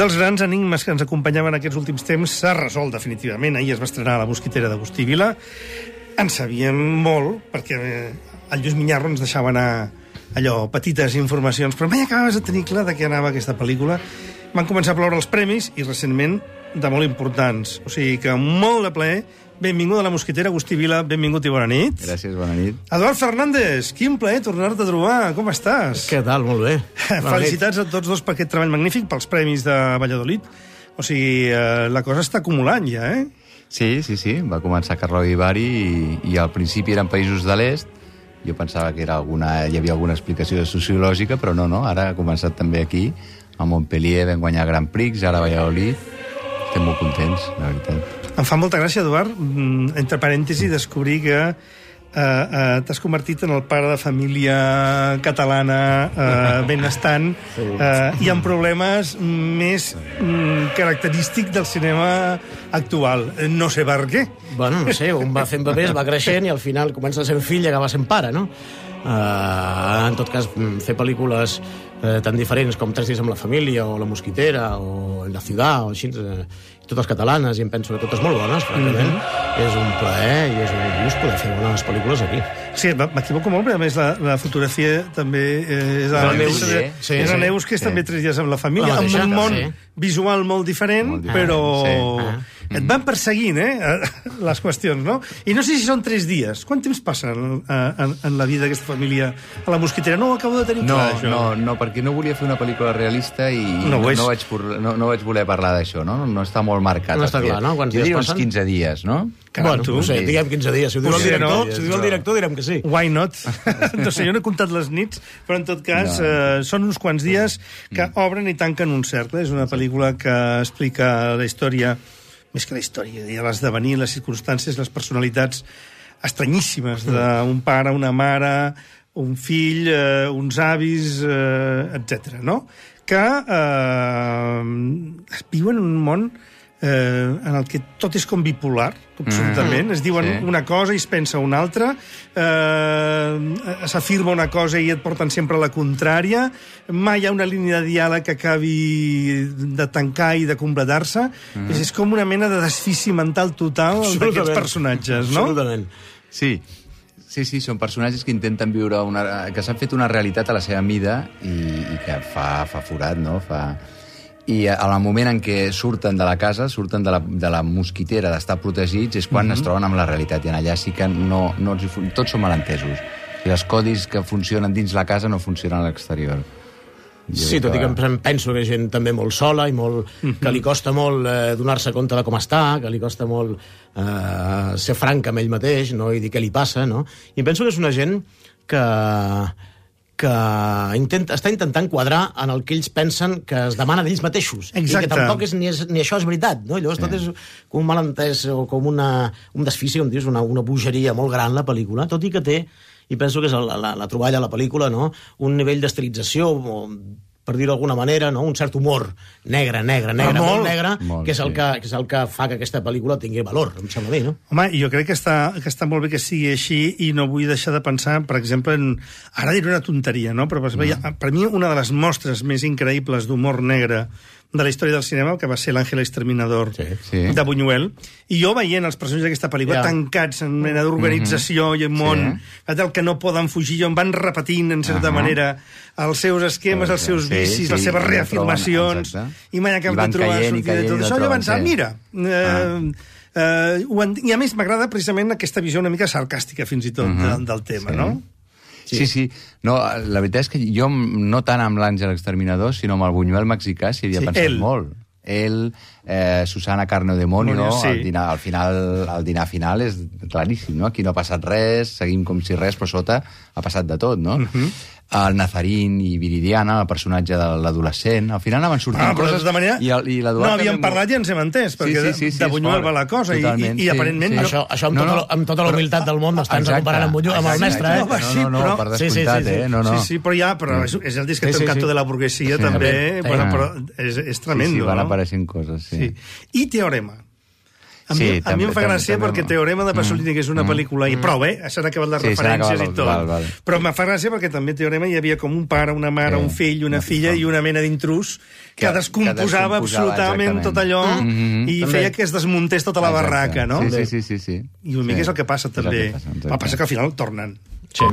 dels grans enigmes que ens acompanyaven aquests últims temps s'ha resolt definitivament. Ahir es va estrenar La Mosquitera d'Agustí Vila. En sabíem molt, perquè el Lluís Minyarro ens deixava anar allò, petites informacions, però mai acabaves de tenir clar de què anava aquesta pel·lícula. Van començar a ploure els premis, i recentment de molt importants. O sigui que molt de plaer. Benvingut a La Mosquitera, Agustí Vila, benvingut i bona nit. Gràcies, bona nit. Eduard Fernández, quin plaer tornar-te a trobar, com estàs? Què tal, molt bé. Felicitats a tots dos per aquest treball magnífic, pels premis de Valladolid. O sigui, la cosa està acumulant ja, eh? Sí. Va començar a Carroi i Bari i al principi eren països de l'est. Jo pensava que hi havia alguna explicació sociològica, però no. Ara ha començat també aquí, a Montpellier, vam guanyar Grand Prix, ara a Valladolid. Estem molt contents, la veritat. Em fa molta gràcia, Eduard, entre parèntesis, descobrir que t'has convertit en el pare de família catalana benestant i amb problemes més característics del cinema actual. No sé per què. Bueno, no sé, un va fent bebès, va creixent i al final comença a ser fill i acaba sent pare, no? En tot cas, fer pel·lícules tan diferents com 3 dies amb la família o La Mosquitera o La Ciudad o així, totes catalanes, i em penso que totes molt bones, francament. És un plaer i és un gust poder fer bones pel·lícules aquí. Sí, m'equivoco molt, però a més la fotografia també és de la Neus, que és també 3 dies amb la família, amb un món visual molt diferent, però et van perseguint, les qüestions, no? I no sé si són 3 dies. Quant temps passa en la vida d'aquesta família a La Mosquitera? No ho acabo de tenir clar, això. No, perquè no volia fer una pel·lícula realista i no vaig voler parlar d'això, no? No està molt marcat. No està clar, no? Quants dies passen? Uns 15 dies, no? Bueno, no sé, diguem 15 dies. Si ho diu el director, direm que sí. Why not? No sé, jo no he comptat les nits, però en tot cas són uns quants dies que obren i tanquen un cercle. És una pel·lícula que explica la història, més que la història, l'esdevenir, les circumstàncies, les personalitats estranyíssimes d'un pare, una mare, un fill, uns avis, etc. no? Que viuen en un món en el que tot és com bipolar, absolutament. Es diuen una cosa i es pensa una altra, s'afirma una cosa i et porten sempre a la contrària, mai hi ha una línia de diàleg que acabi de tancar i de completar-se. És com una mena de desfici mental total d'aquests personatges, no? Absolutament. Sí, són personatges que intenten viure que s'han fet una realitat a la seva mida i que fa forat, no? I al moment en què surten de la casa, surten de la mosquitera, d'estar protegits, és quan es troben amb la realitat. I en allà sí que tots són malentesos. I els codis que funcionen dins la casa no funcionen a l'exterior. Sí, tot i que em penso que hi ha gent també molt sola i que li costa molt donar-se compte de com està, que li costa molt ser franc amb ell mateix, no? I dir què li passa, no? I em penso que és una gent que està intentant quadrar en el que ells pensen que es demana d'ells mateixos. Exacte. I que tampoc ni això és veritat, no? Llavors tot és com un malentès o com un desfici, com dius, una bogeria molt gran, la pel·lícula, tot i que té, i penso que és la troballa a la pel·lícula, no? Un nivell d'estilització, per dir-ho d'alguna manera, no? Un cert humor negre, molt negre, que és el que fa que aquesta pel·lícula tingui valor, em sembla bé, no? Home, jo crec que està molt bé que sigui així i no vull deixar de pensar, per exemple, ara diré una tonteria, no? Però per mi una de les mostres més increïbles d'humor negre de la història del cinema, que va ser l'Àngel Exterminador de Buñuel, i jo veient els personatges d'aquesta pel·lícula tancats en mena d'organització i en món del que no poden fugir, on van repetint, en certa manera, els seus esquemes, els seus vicis, les seves reafirmacions, i mai acaben de trobar sortida de tot això. Jo pensava, mira... I a més m'agrada precisament aquesta visió una mica sarcàstica, fins i tot, del tema, no? Sí. No, la veritat és que jo, no tant amb l'Àngel Exterminador, sinó amb el Buñuel mexicà, s'hi havia pensat molt. Ell, Susana Carne o Demonio, el dinar final és claríssim, no? Aquí no ha passat res, seguim com si res, però sota ha passat de tot, no? El Nazarín i Viridiana, el personatge de l'adolescent, al final anaven sortint coses... De manera, no havíem parlat i ens hem entès, perquè de Buñuel va la cosa, i aparentment... Això amb tota la humilitat del món, estàs comparant amb el mestre, No, per descomptat, Sí, però és el disc que té un canto de la burguesia, també, però és tremendo. Sí, van apareixent coses, sí. I Teorema. A mi em fa gràcia perquè Teorema de Pasolini, que és una pel·lícula, i prou, s'han acabat les referències i tot. Però em fa gràcia perquè també Teorema hi havia com un pare, una mare, un fill, una filla i una mena d'intrús que descomposava absolutament tot allò i feia que es desmuntés tota la barraca, no? Sí. I una mica és el que passa, també. El que passa que al final tornen. Sí.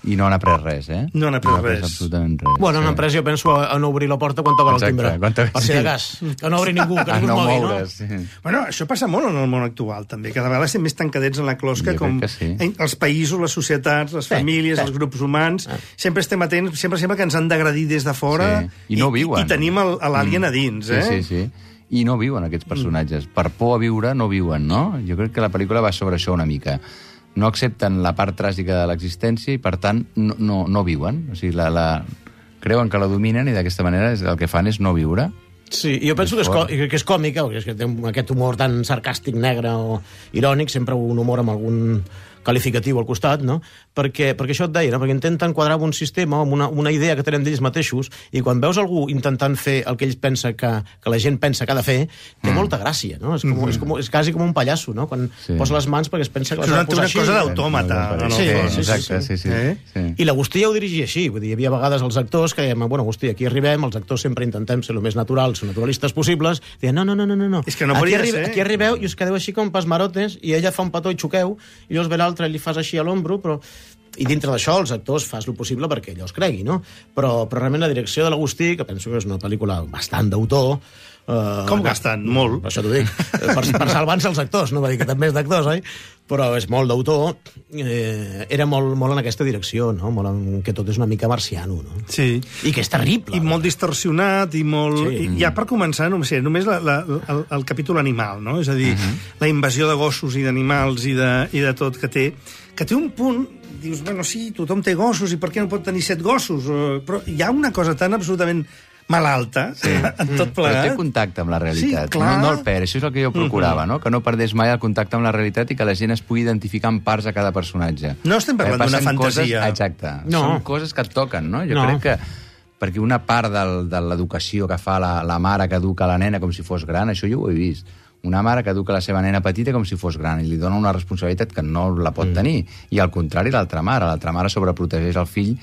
I no han après res, No han après res. Absolutament res. Bueno, han après, jo penso, a no obrir la porta quan toca el timbre. Per si de cas. Que no obri ningú, que ningú es mogui, no? Bueno, això passa molt en el món actual, també. Cada vegada estem més tancadets en la closca, com els països, les societats, les famílies, els grups humans. Sempre estem atents, sempre sembla que ens han d'agredir des de fora i no viuen. I tenim l'alien a dins, Sí. I no viuen aquests personatges. Per por a viure no viuen, no? Jo crec que la pel·lícula va sobre això una mica. No accepten la part tràgica de l'existència i, per tant, no viuen. O sigui, creuen que la dominen i d'aquesta manera el que fan és no viure. Sí, jo penso que és còmica, que té aquest humor tan sarcàstic, negre o irònic, sempre un humor amb algun qualificatiu al costat, no? Perquè això et deia, no? Perquè intenten quadrar un sistema amb una idea que tenen d'ells mateixos, i quan veus algú intentant fer el que ells pensa que la gent pensa que ha de fer, té molta gràcia, no? És quasi com un pallasso, no? Quan posa les mans perquè es pensa que les ha de posar així. És una cosa d'autòmata. Sí. I l'Agustí ja ho dirigia així, vull dir, hi havia vegades els actors que deien, bueno, Agustí, aquí arribem, els actors sempre intentem ser el més naturals, naturalistes possibles, deien, no. És que no podria ser. Aquí arribeu i us quedeu així com pasmarotes, i ella fa un petó i xoqueu, i llavors ve l'altre i li fas així a l'ombro, però... I dintre d'això els actors fas el possible perquè ella els cregui, no? Però realment la direcció de l'Agustí, que penso que és una pel·lícula bastant d'autor... Com bastant? Molt. Per això t'ho dic. Per salvar-se els actors, no va dir que també és d'actors, oi? Però és molt d'autor. Era molt en aquesta direcció, no? Molt en que tot és una mica marciano, no? Sí. I que és terrible. I molt distorsionat, i molt... Ja per començar, només el capítol animal, no? És a dir, la invasió de gossos i d'animals i de tot que té un punt... Dius, bueno, sí, tothom té gossos, i per què no pot tenir 7 gossos? Però hi ha una cosa tan absolutament malalta en tot plegat. Però té contacte amb la realitat. Sí, clar. No el perd, això és el que jo procurava, no? Que no perdés mai el contacte amb la realitat i que la gent es pugui identificar en parts a cada personatge. No estem parlant d'una fantasia. Exacte. Són coses que et toquen, no? Jo crec que perquè una part de l'educació que fa la mare que educa la nena com si fos gran, això jo ho he vist. Una mare que educa la seva nena petita com si fos gran i li dona una responsabilitat que no la pot tenir. I al contrari, l'altra mare sobreprotegeix el fill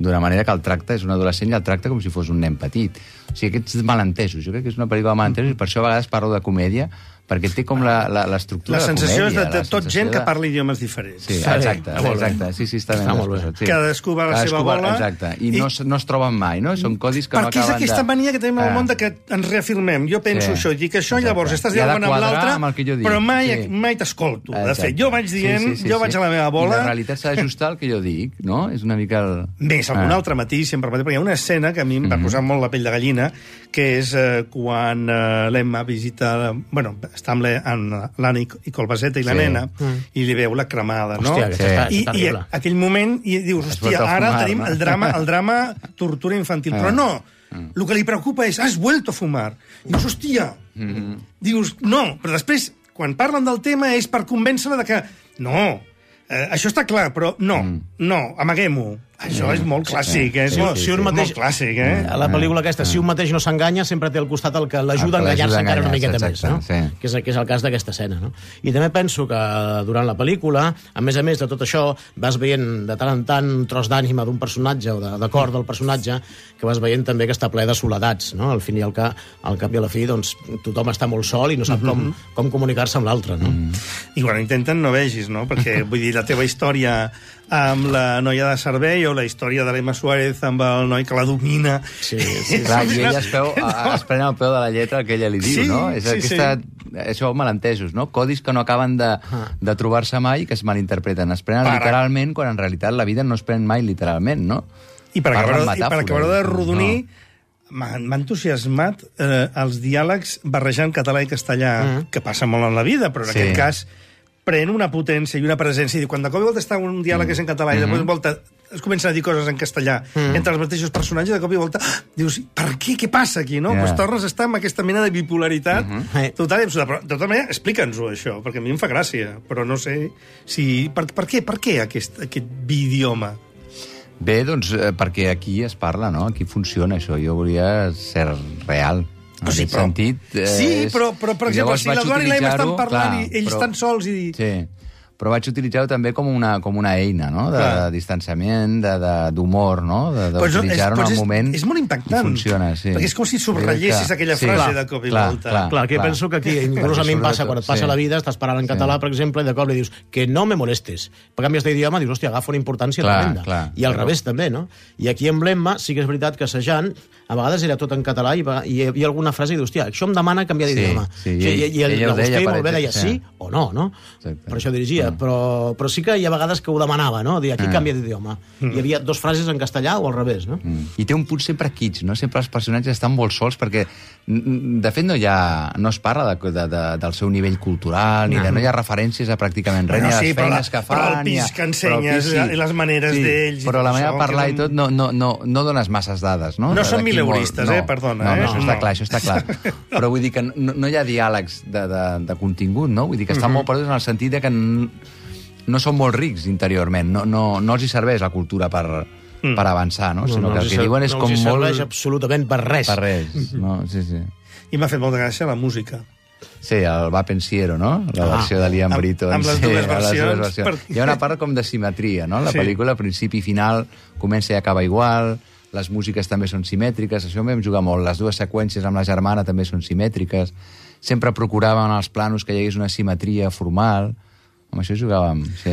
d'una manera que el tracta, és un adolescent i el tracta com si fos un nen petit. O sigui, aquests malentesos, jo crec que és una pel·lícula de malentesos i per això a vegades parlo de comèdia, perquè té com l'estructura de comèdia. La sensació és de tot gent que parla idiomes diferents. Sí, exacte. Sí, està molt bé. Cadascú va a la seva bola. Exacte, i no es troben mai, no? Són codis que no acaben de... Perquè és aquesta mania que tenim al món que ens reafirmem. Jo penso això, dic això, llavors estàs dialogant amb l'altre, però mai t'escolto. De fet, jo vaig dient, jo vaig a la meva bola... I la realitat s'ha d'ajustar al que jo dic, no? És una mica el... Més, algun altre matís, sempre perquè hi ha una escena que a mi em va posar molt la pell de gallina, que és quan l'Emma visita... Bueno, està amb l'Anna i Colbaseta i la nena, i li veu la cremada, no? I aquell moment, i dius, hòstia, ara tenim el drama tortura infantil. Però no, el que li preocupa és, has vuelto a fumar. I dius, hòstia, dius, no, però després, quan parlen del tema és per convèncer-la de que, no, això està clar, però no, amaguem-ho. Això és molt clàssic, molt clàssic, A la pel·lícula aquesta, si un mateix no s'enganya, sempre té al costat el que l'ajuda a enganyar-se encara una miqueta més, no? Que és el cas d'aquesta escena, no? I també penso que durant la pel·lícula, a més de tot això, vas veient de tant en tant un tros d'ànima d'un personatge o de cor del personatge, que vas veient també que està ple de soledats, no? Al fin i al cap i a la fi, doncs, tothom està molt sol i no sap com comunicar-se amb l'altre, no? I quan intenten no vegis, no? Perquè, vull dir, la teva història amb la noia de servei o la història de l'Emma Suárez amb el noi que la domina. Sí. Clar, i ella es pren el peu de la lletra que ella li diu, no? És això malentesos, no? Codis que no acaben de trobar-se mai i que es malinterpreten. Es prenen literalment quan en realitat la vida no es pren mai literalment, no? I per acabar de rodonir, m'ha entusiasmat els diàlegs barrejant català i castellà, que passa molt en la vida, però en aquest cas pren una potència i una presència. I quan de cop i volta està un diàleg que és en català i de cop i volta es comencen a dir coses en castellà entre els mateixos personatges, de cop i volta dius, per què? Què passa aquí? No? Pues tornes a estar amb aquesta mena de bipolaritat total i absoluta. Però, de tota manera, explica'ns-ho, això, perquè a mi em fa gràcia, però no sé si... Per què aquest bidioma? Bé, doncs, perquè aquí es parla, no? Aquí funciona això. Jo volia ser real. En aquest sentit... Sí, però per exemple, si l'Eduard i l'Emma estan parlant i ells estan sols i... Sí, però vaig utilitzar-ho també com una eina, no?, de distanciament, d'humor, no?, d'utilitzar-ho en el moment... És molt impactant. Funciona, sí. Perquè és com si subrayessis aquella frase de cop i volta. Clar, que penso que aquí, inclús a mi em passa, quan et passa la vida, estàs parlant en català, per exemple, i de cop li dius que no me molestes. Per canvies d'idioma, dius, hòstia, agafa una importància tremenda. I al revés, també, no? I aquí en l'Emma sí que és veritat que assajant, a vegades era tot en català i hi havia alguna frase i dius, hòstia, això em demana canviar d'idioma. I l'Agustí molt bé deia sí o no, no? Per això dirigia. Però sí que hi ha vegades que ho demanava, no? Dir, aquí canvia d'idioma. Hi havia dos frases en castellà o al revés, no? I té un punt sempre kitsch, no? Sempre els personatges estan molt sols perquè, de fet, no es parla del seu nivell cultural, no hi ha referències a pràcticament res, ni a les feines que fan... Però el pis que ensenyes i les maneres d'ells... Però la manera de parlar i tot no dones masses dades, no? No són mileuristes, perdona. No, això està clar. Però vull dir que no hi ha diàlegs de contingut, no? Vull dir que estan molt perduts en el sentit que no són molt rics interiorment, no els hi serveix la cultura per avançar, no? Sinó que el que diuen és com molt... No els hi serveix absolutament per res. Per res, no? Sí. I m'ha fet molta gràcia la música. Sí, el Va Pensiero, no? La versió de Liam Britton. Amb les dues versions. Hi ha una part com de simetria, no? La pel·lícula, principi i final, comença i acaba igual, les músiques també són simètriques, això m'hem jugat molt. Les dues seqüències amb la germana també són simètriques. Sempre procuràvem als planos que hi hagués una simetria formal. Amb això jugàvem, sí.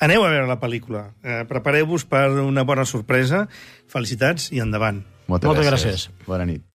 Aneu a veure la pel·lícula. Prepareu-vos per una bona sorpresa. Felicitats i endavant. Moltes gràcies. Bona nit.